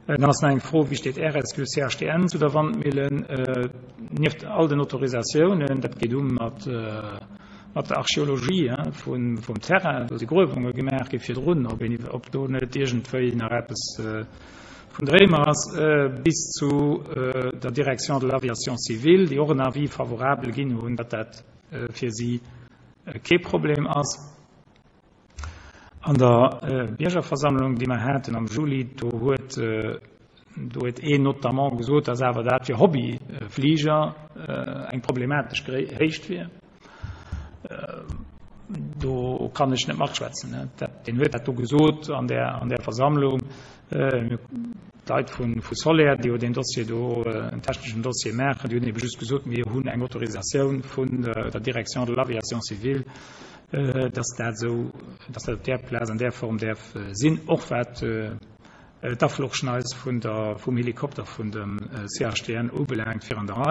Dann ass nach eng Fro, Wéi steet RSQ CHTN zu der Wandmillen? Nieft all den Autorisatiounen, dat geet u mat der Archeologie vum Terrain, do si Gruewunge gemaach gi virdrun, ob do net iergendwéi nach eppes vun de Réimer ass, bis zu der Direction de l'aviation civile, déi och en Avis favorable ginn hunn, datt dat fir si kee Problem ass. An der Biergerversammlung, déi mer haten am Juli, do huet do huet een notamment gesot, datt awer dat fir Hobbyfliger eng problematesch Héicht wier. Do kann ech net matschwätzen. Deen huet dat do gesot an där an där Versammlung. D'Leit vu Soler, déi jo deen Dossier do, en techneschen Dossier maachen, déi hunn ebe just gesot, mir hunn eng Autorisatioun vun der Direction de l'aviation civile, dass dat esou, dass dat op där Plaz an där Form däerf sinn, och wat d'Afluchschneis vun der, vum Helikopter vun dem CHTN ubelaangt, fir an der Rei.